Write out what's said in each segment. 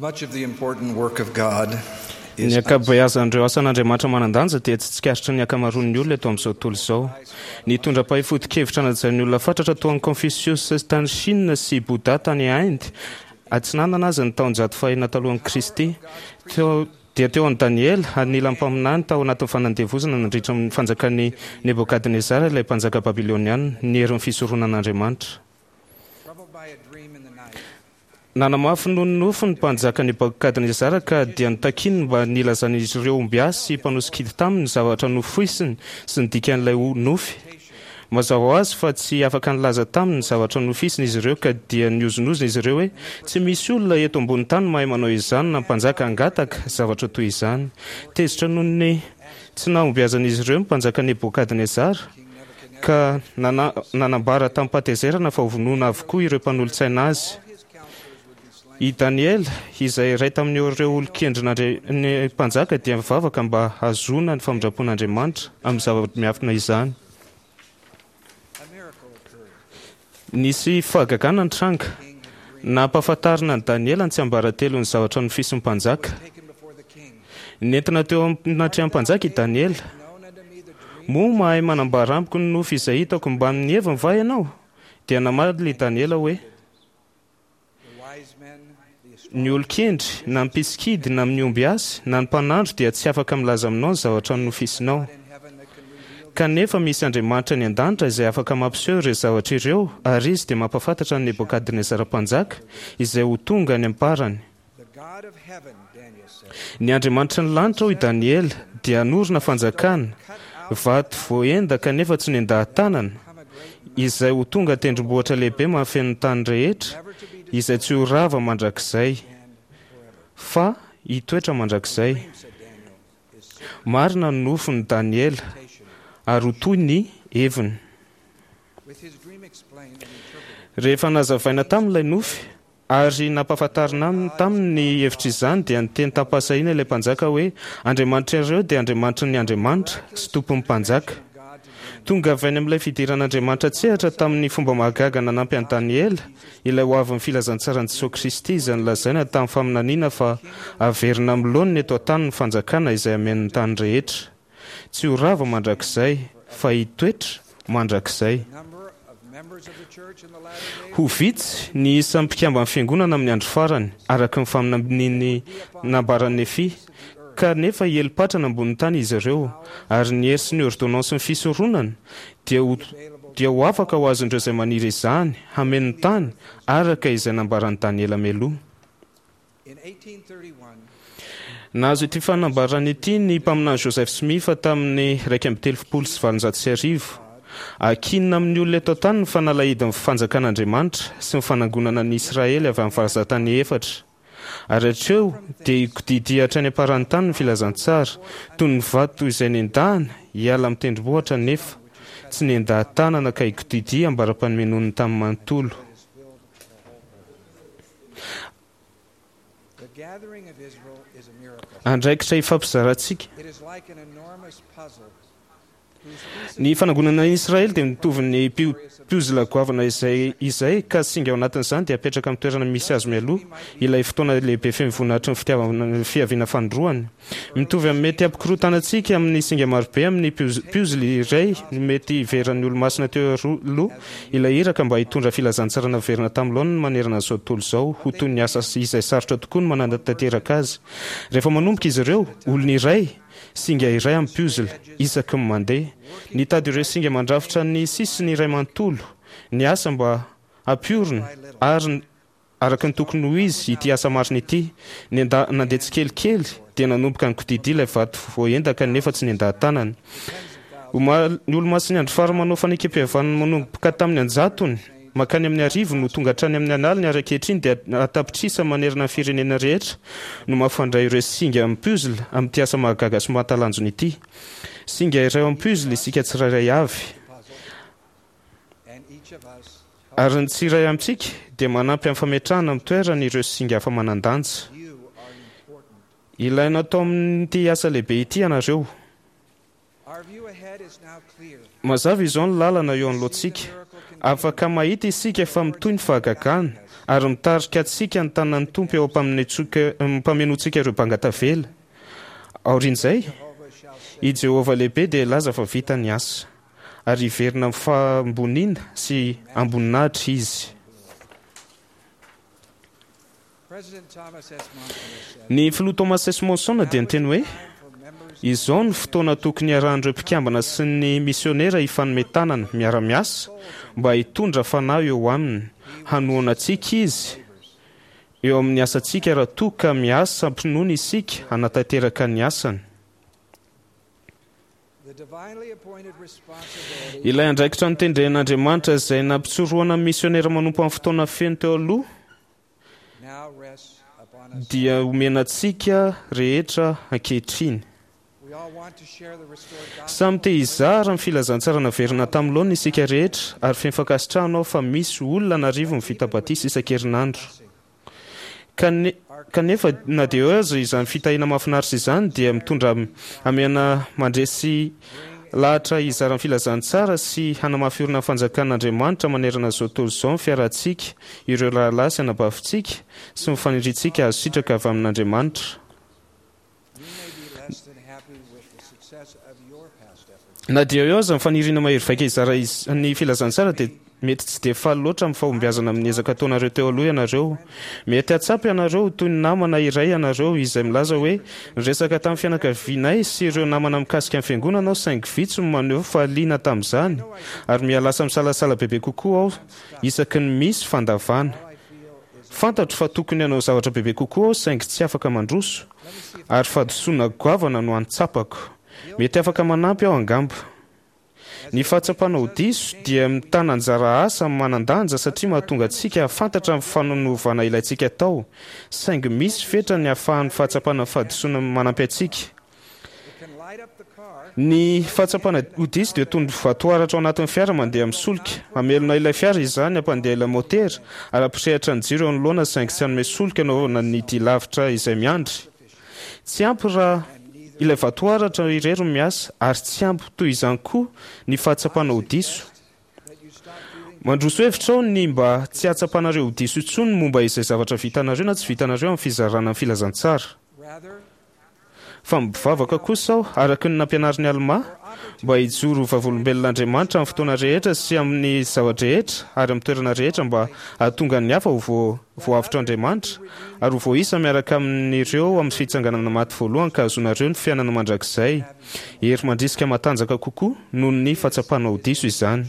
Much of the important work of God Ny ankabeazan'ireo asan'Andriamanitra manan-danja dia tsy tsikaritry ny ankamaroan'ny olona eto amin'izao tontolo izao. Nitondra mpahay foto-kevitra najain'ny olona fatratra toa an'i Confucius tany Chine sy Bouddha tany Inde Atsinanana aza ny taonjato fahenina talohan'i Kristy. Teo dia teo amin'i Daniela, anilan'ny mpaminany tao anatin'ny fanandevozana nandritra ny fanjakan'i Nebokadnezara ilay mpanjaka babyloniana, ny herin'ny fisoronan'Andriamanitra. Nanamafy noho ny nofy ny mpanjaka Nebokadnezara ka dia notakiny mba nilazan'izy ireo ombiasy sy mpanosikidy taminy ny zavatra nofoisiny sy ny dikan'ilay nofy. Mazava ho azy fa tsy afaka nilaza taminy ny zavatra nofisiny izy ireo ka dia nihozonozona izy ireo hoe, Tsy misy olona eto ambony tany mahay manao izany na mpanjaka hangataka zavatra toy izany. Tezitra noho ny tsy nahombiazan'izy ireo ny mpanjaka Nebokadnezara. ka nanambara tamim-pahatezerana fa hovonoina avokoa ireo mpanolotsaina azy. I Daniela, izay iray tamin'ireo olon-kendrin'ny mpanjaka, dia nivavaka mba hahazoana ny famindram-pon'Andriamanitra amin'ny zava-miafina izany. Nisy fahagagana nitranga. Nampahafantarina an'i Daniela ny tsiambaratelon'ny zavatra nofisin'ny mpanjaka. Nentina teo anatrehan'ny mpanjaka i Daniela. Moa mahay manambara amiko ny nofy izay hitako mbamin'ny heviny va ianao? Dia namaly i Daniela hoe, Ny olon-kendry, na ny mpisikidy, na ny ombiasy, na ny mpanandro dia tsy afaka milaza aminao ny zavatra nofisinao. Kanefa misy Andriamanitra any an-danitra izay afaka mampiseho ireo zavatra ireo, ary Izy dia mampahafantatra an'i Nebokadnezara mpanjaka izay ho tonga any am-parany. Ny Andriamanitry ny lanitra, hoy Daniela, dia hanorina fanjakana, vato voaendaka nefa tsy nendahan-tanana, izay ho tonga tendrombohitra lehibe mahafeno ny tany rehetra, izay tsy ho rava mandrakizay, fa hitoetra mandrakizay. Marina ny nofin'i Daniela, ary ho toy ny heviny. Rehefa nazavaina taminy ilay nofy, Ary nampahafantarina taminy ny hevitr'izany, dia niteny tamim-pahasahiana ilay mpanjaka hoe, Andriamanitrareo dia Andriamanitry ny andriamanitra, sy Tompon'ny mpanjaka. Tonga avy any amin'ilay fidiran'Andriamanitra an-tsehatra tamin'ny fomba mahagaga nanampy an'i Daniela, ilay hoavin'ny filazantsaran'i Jesoa Kristy izay nolazaina tamin'ny faminaniana fa haverina amin'ny laoniny eto an-tany ny fanjakana izay hameno ny tany rehetra. Tsy ho rava mandrakizay, fa hitoetra mandrakizay. Ho vitsy ny isan'ny mpikamban'ny Fiangonana amin'ny andro farany, araka ny faminanian'ny nambaran'i Nefia, kanefa hiely patrana ambonin'ny tany izy ireo, ary ny hery sy ny ôrdônansin'ny fisoronana dia ho dia ho afaka ho azon'ireo izay maniry izany hameno ny tany, araka izay nambaran'i Daniela mialoha. Nahazo ity fanambarana ity ny Mpaminany Joseph Smith tamin'ny 1831. Ankinina amin'ny olona eto an-tany ny fanalahidin'ny fanjakan'Andriamanitra sy ny fanangonana an'i Israely avy amin'ny vazantany efatra. Ary hatreo dia hikodidia hatrany am-paran'ny tany ny filazantsara, toy ny vato izay nendahana hiala amin'ny tendrombohitra nefa tsy nendaha-tanana ka hikodidia ambara-panomenoan'ny tany manontolo. Andraikitra ifampizarantsika. Ny fanangonana an'i Israely dia mitovy ny piozila goavana izay izay ka singa ao anatin'izany dia apetraka amin'ny toerana misy azy mialoha ilay fotoana lehibe feno voninahitry ny fitiavana fiaviana fanindroany. Mitovy amin'ny mety hampikorontana antsika amin'ny singa marobe amin'ny puzzle iray ny mety hiveran'ny Olomasina teo aloha ilay iraka mba hitondra filazantsara naverina tamin'ny laoniny manerana an'izao tontolo izao ho toy ny asa izay sarotra tokoa ny manatanteraka azy. Rehefa manomboka izy ireo, olona iray, singa iray amin'ny puzzle, isaky ny mandeha. Nitady ireo singa mandrafitra ny sisiny iray manontolo, ny asa mba hampiorina ary Araka ny tokony ho izy, ity asa marina ity, nenda, nandeha tsikelikely, dia nanomboka nikodidia ilay vato voaendaka nefa tsy nendaha-tanana. Omaly, ny Olomasin'ny Andro Farany manao fanekempihavanana manomboka tamin'ny an-jatony mankany amin'ny arivony no tonga hatrany amin'ny an'aliny ary ankehitriny dia an-tapitrisa manerana ny firenena rehetra no mampifandray ireo singa amin'ny puzzle amin'ity asa mahagaga sy mahatalanjona ity. Singa iray ao amin'ny puzzle isika tsirairay avy. Ary ny tsiray amintsika dia manampy amin'ny fametrahana amin'ny toerany ireo singa hafa manan-danja. Ilaina atao amin'ity asa lehibe ity ianareo. Mazava izao ny lalana eo anoloantsika. Afaka mahita isika fa mitohy ny fahagagana, Ary mitarika antsika ny tanan'ny Tompo eo am-pamenoantsika ireo banga tavela. Aorian'izay, i Jehovah lehibe dia hilaza fa vita ny asa, ary hiverina amin'ny fahamboniana sy am-boninahitra izy. Ny Filoha Thomas S. Monson dia niteny hoe, Izao no fotoana tokony hiarahan'ireo mpikambana sy ny misionera hifanome tanana, miara-miasa, mba hitondra fanahy eo aminy. Hanohana antsika izy eo amin'ny asantsika raha toa ka miasa am-pinoana isika hanatanteraka ny asany. Ilay andraikitra notendren'Andriamanitra izay nampitsorohana ny misionera manompo amin'ny fotoana feno teo aloha dia omena antsika rehetra ankehitriny. Samy te hizara ny filazantsara naverina tamin'ny laoniny isika rehetra ary feno fankasitrahana aho fa misy olona an'arivony vita batisa isan-kerinandro. Kanefa na dia eo aza izany fitahiana mahafinaritra izany dia mitondra hamehana mandresy lahatra hizara ny filazantsara sy hanamafy orina ny fanjakan'Andriamanitra manerana izao tontolo izao ny fiarahantsika, ireo rahalahy sy anabavintsika, sy ny faniriantsika hahazo sitraka avy amin'Andriamanitra. Na dia eo aza ny faniriana mahery vaika hizara ny filazantsara dia mety tsy dia faly loatra amin'ny fahombiazana amin'ny ezaka ataonareo teo aloha ianareo. Mety hahatsapa ianareo ho toy ny namana iray ianareo izay milaza hoe, Niresaka tamin'ny fianakavianay sy ireo namana mikasika ny Fiangonana aho saingy vitsy no maneho fa liana tamin'izany ary miha-lasa misalasala bebe kokoa aho isaky ny misy fandavana. Fantatro fa tokony hanao zavatra bebe kokoa aho saingy tsy afaka mandroso ary fahadisoana goavana no antsapako. Mety afaka manampy aho angamba. Ny fahatsapana ho diso dia mitana anjara asa manan-danja satria mahatonga antsika hahafantatra ny fanonovana ilaintsika atao, saingy misy fetra ny ahafahan'ny fahatsapana fahadisoana manampy antsika. Ny fahatsapana ho diso dia toy ny vatoaratra ao anatin'ny fiara mandeha amin'ny solika. Hamelona ilay fiara izany, hampandeha ilay maotera, ary hampirehitra ny jiro eo anoloana saingy tsy hanome solika hanaovana ny dia lavitra izay miandry. Tsy ampy raha ilay vatoaratra irery no miasa ary tsy ampy toy izany koa ny fahatsapana ho diso. Mandroso hevitra aho ny mba tsy hahatsapanareo ho diso intsony momba izay zavatra vitanareo na tsy vitanareo amin'ny fizarana ny filazantsara. Fa mivavaka kosa aho, araka ny nampianarin'i Almà, mba hijoro ho vavolombelon'Andriamanitra amin'ny fotoana rehetra sy amin'ny zava-drehetra ary amin'ny toerana rehetra mba hahatonga ny hafa ho voavotr'Andriamanitra ary ho voaisa miaraka amin'ireo amin'ny fitsanganana maty voalohany ka hahazoanareo ny fiainana mandrakizay. Hery mandrisika matanjaka kokoa noho ny fahatsapana ho diso izany.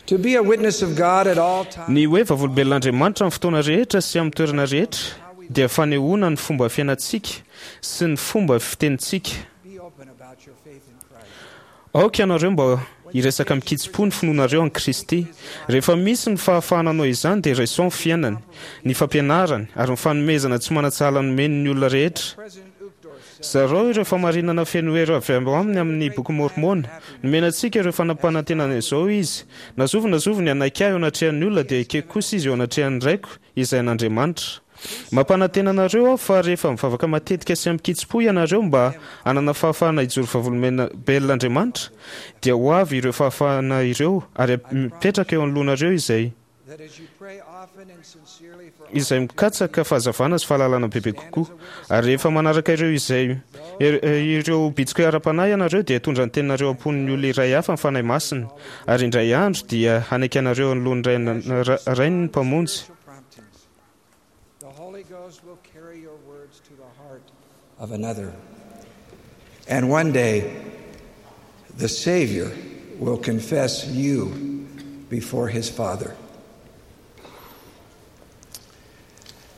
Ny hoe vavolombelon'Andriamanitra amin'ny fotoana rehetra sy amin'ny toerana rehetra dia fanehoana ny fomba fiainantsika sy ny fomba fitenintsika. Aoka ianareo mba hiresaka amin-kitsim-po ny finoanareo an'i Kristy. Rehefa misy ny fahafahana hanao izany dia raiso ny fiainany, ny fampianarany ary ny fanomezana tsy manan-tsahala nomeny ny olona rehetra. Zarao ireo fahamarinana feno hery avy ao aminy amin'ny Boky Môrmôna. Nomena antsika ireo fanampanantenana izao Izy, Na zovy na zovy ny hanaiky Ahy eo anatrehan'ny olona, dia ekeko kosa izy eo anatrehan'ny Raiko, izay an'Andriamanitra. Mampanantena anareo aho fa rehefa mivavaka matetika sy amin-kitsim-po ianareo mba hanana fahafahana hijoro vavolombelon'Andriamanitra, dia ho avy ireo fahafahana ireo ary hapetraka eo anoloanareo izay izay mikatsaka fahazavana sy fahalalana bebe kokoa. Ary rehefa manaraka ireo izay ireo bitsika ara-panahy ianareo dia hitondra ny teninareo am-pon'ny olona iray hafa ny Fanahy Masina, ary indray andro dia hanaiky anareo anoloan'ny Rainy ny Mpamonjy. Of another. And one day the Savior will confess you before his Father.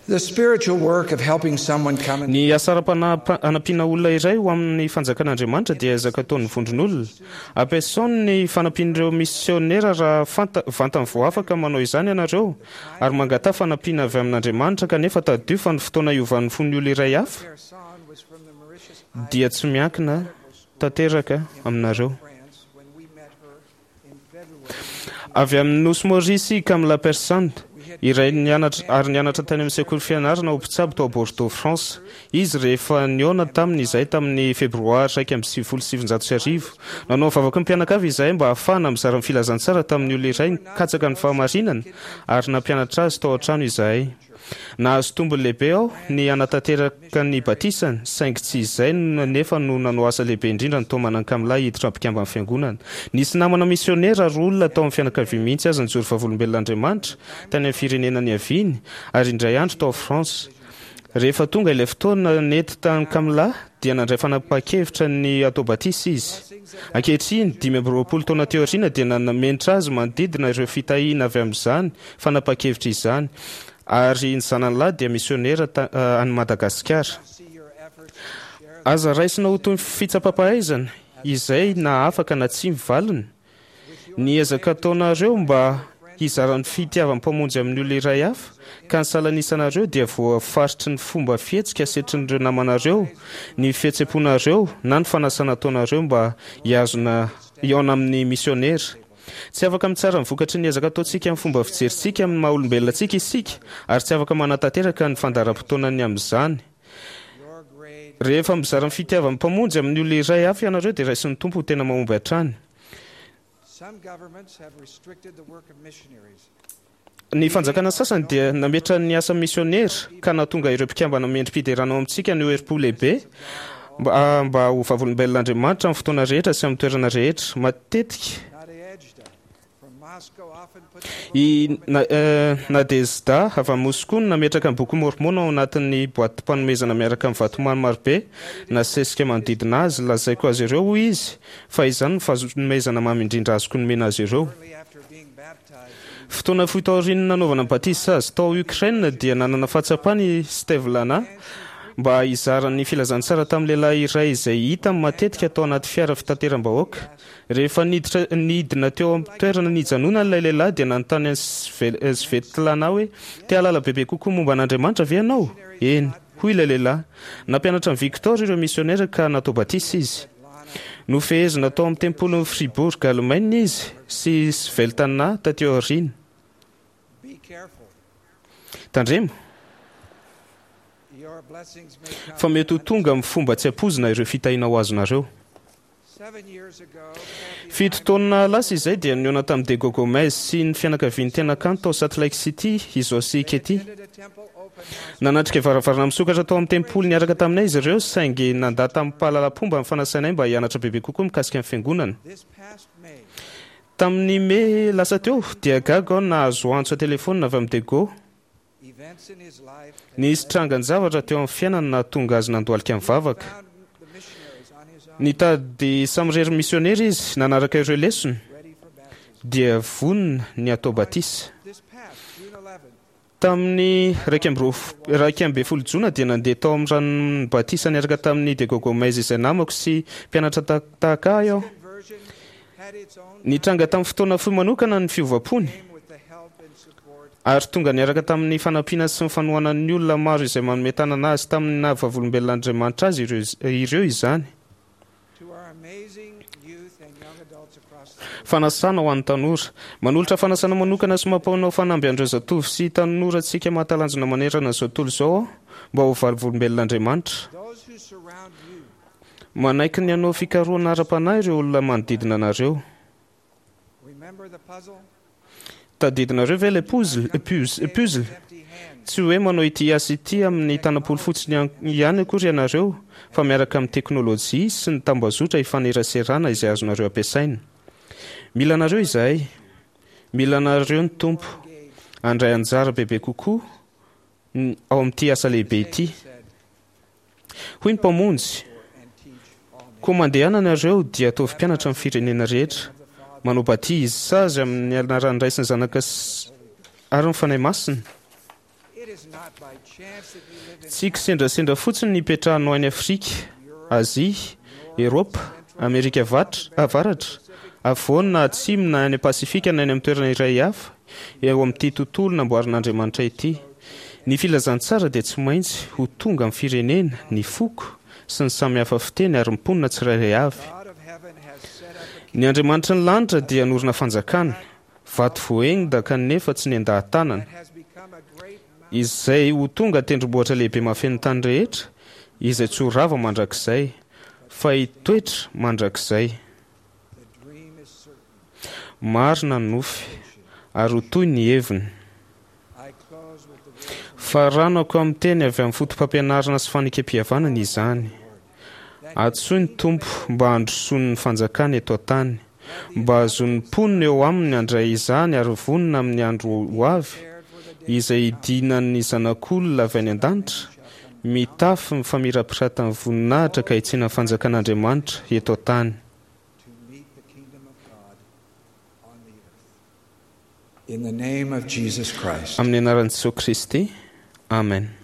The spiritual work of helping someone come Ny asa ara-panahy hanampiana olona iray ho amin'ny fanjakan'Andriamanitra dia ezaka ataon'ny vondron'olona. Ampiasao ny fanampian'ireo misiônera raha fanta, vantany vao afaka manao izany ianareo, ary mangataha fanampiana avy amin'Andriamanitra, kanefa tadidio fa ny fotoana hiovan'ny fon'ny olona iray hafa dia tsy miankina tanteraka aminareo. Avy amin'ny Nosy Maurice i Kamla Persand. iray nianatra ary nianatra tany amin'ny sekoly fianarana ho mpitsabo tao Bordeaux, France. Izy rehefa nihaona taminy izahay tamin'ny Febroary 1991. Nanao vavaka ny mpianakavy izahay mba hahafahana mizara ny filazantsara tamin'ny olona iray nikatsaka ny fahamarinana ary nampianatra azy tao an-trano izahay. Nahazo tombony lehibe aho ny hanatanteraka ny batisany, saingy tsy izay anefa no nanao asa lehibe indrindra nitaomana an'i Kamla hiditra mpikamban'ny Fiangonana. Nisy namana misionera ary olona tao amin'ny fianakaviany mihitsy aza nijoro vavolombelon'Andriamanitra tany amin'ny firenena niaviany, ary indray andro tao France. Rehefa tonga ilay fotoana nety tamin'i Kamla, dia nandray fanapahan-kevitra ny hatao batisa izy. Ankehitriny, 25 taona teo aoriana, dia nanamentra azy manodidina ireo fitahiana avy amin'izany fanapahan-kevitra izany, ary ny zanany lahy dia misionera any Madagasikara. Aza raisina ho toy ny fitsapam-pahaizana izay na afaka na tsia ny valiny. Ny ezaka ataonareo mba hizara ny fitiavan'ny Mpamonjy amin'ny olona iray hafa, ka ny salanisanareo dia voafaritry ny fomba fihetsika asetrin'ireo namanareo, ny fihetseham-ponareo na ny fanasana ataonareo mba hihazona hihaona amin'ny misiônera. Tsy afaka mitsara ny vokatry ny ezaka ataontsika amin'ny fomba fijerintsika amin'ny maha-olombelona antsika isika, ary tsy afaka manatanteraka ny fandaharam-potoanany amin'izany. Rehefa mizara ny fitiavan'ny Mpamonjy amin'ny olona iray hafa ianareo dia raisin'ny Tompo ho tena mahomby hatrany. Ny fanjakana sasany dia nametra ny asa misionera ka nahatonga ireo mpikambana mendri-piderana ao amintsika haneho herim-po lehibe mba ho vavolombelon'Andriamanitra amin'ny fotoana rehetra sy amin'ny toerana rehetra. Matetika I Nadezhda avy any Moskoa no nametraka ny Boky Môrmôna ao anatin'ny boatim-panomezana miaraka amin'ny vatomamy marobe nasesika manodidina azy. Lazaiko azy ireo, hoy izy, fa izany no fanomezana mamy indrindra azoko nomena azy ireo. Fotoana fohy taorian'ny nanaovana batisa azy tao Ukraine dia nanana fahatsapana i Stevlana mba hizara ny filazantsara tamin'ny lehilahy iray izay hitany matetika tao anaty fiara fitateram-bahoaka. Rehefa niditra nidina teo amin'ny toerana nijanonany ilay lehilahy dia nanontany an'i Svetlana hoe, Te hahalala bebe kokoa momba an'Andriamanitra ve ianao? Eny, hoy ilay lehilahy. Nampianatra an'i Victor ireo misionera ka natao batisa izy. Nofehezina tao amin'ny tempolin'i Fribourg, Alemaina izy sy Sveltana tatỳ aoriana. Tandremo fa mety ho tonga amin'ny fomba tsy ampoizina ireo fitahiana ho azonareo. Fito taona lasa izay dia nihaona tamin'i Diego Gomez sy ny fianakaviany tena kanto tao Salt Lake City i Zo sy i Katie. Nanatrika varavarana misokatra tao amin'ny tempoly niaraka taminay izy ireo, saingy nandà tamim-pahalalam-pomba ny fanasanay mba hianatra bebe kokoa mikasika ny Fiangonana. Tamin'ny Mey lasa teo, dia gaga aho nahazo antso an-telefaonina avy amin'i Diego. Nisy trangan-javatra teo amin'ny fiainany nahatonga azy nandohalika nivavaka. Nitady samirery misionera izy, nanaraka ireo lesona, dia vonona ny hatao batisa. Tamin'ny 11 jona dia nandeha tao amin'ny ranon'ny batisa niaraka tamin'i Diego Gomez izay namako sy mpianatra tahaka ahy aho. Nitranga tamin'ny fotoana fohy manokana ny fiovam-pony. Ary tonga niaraka tamin'ny fanampiana sy ny fanohanan'ny olona maro izay manome tanana azy tamin'ny naha vavolombelon'Andriamanitra azy ireo izany. Fanasana ho an'ny tanora. Manolotra fanasana manokana sy mampanao fanamby an'ireo zatovo sy tanorantsika mahatalanjona manerana izao tontolo izao aho mba ho vavolombelon'Andriamanitra. Manaiky ny hanao fikarohana ara-panahy ireo olona manodidina anareo. Tadidinareo ve ilay puzzle? Puzzle? Tsy hoe manao ity asa ity amin'ny tanam-polo fotsiny ihany akory ianareo, fa miaraka amin'ny teknolojia sy ny tambazotra ifaneraserana izay azonareo ampiasaina. Mila anareo izahay. Mila anareo ny Tompo. Handray anjara bebe kokoa ao amin'ity asa lehibe ity. Hoy ny Mpamonjy, Koa mandehana nareo dia ataovy mpianatra ny firenena rehetra, manao batisa azy amin'ny anaran'ny Ray sy ny Zanaka ary ny Fanahy Masina. Tsy kisendrasendra fotsiny ny hipetrahanao any Afrika, Azia, Eropa, Amerika Avaratra, Afovoany na Atsimo na any Pasifika na any amin'ny toerana iray hafa eo amin'ity tontolo namboarin'Andriamanitra ity. Ny filazantsara dia tsy maintsy ho tonga amin'ny firenena, ny foko, sy ny samy hafa fiteny ary ny mponina tsirairay avy. Ny Andriamanitry ny lanitra dia hanorina fanjakana. Vato voahenga kanefa tsy nendaha-tanana, izay ho tonga tendrombohitra lehibe mahafeno ny tany rehetra, izay tsy ho rava mandrakizay, fa hitoetra mandrakizay. Marina ny nofy, ary ho toy ny heviny. Faranako amin'ny teny avy amin'ny foto-pampianarana sy fanekem-pihavanana izany. Antsoy ny Tompo mba handrosoany ny fanjakany eto an-tany, mba hahazoan'ny mponina eo aminy handray izany ary vonona amin'ny andro ho avy, izay hidinan'ny Zanak'olona avy any an-danitra, mitafy ny famirapiratan'ny voninahitra ka hitsena ny fanjakan'Andriamanitra eto an-tany. In the name of Jesus Christ. Amin'ny anaran'i Jesosy Kristy. Amen.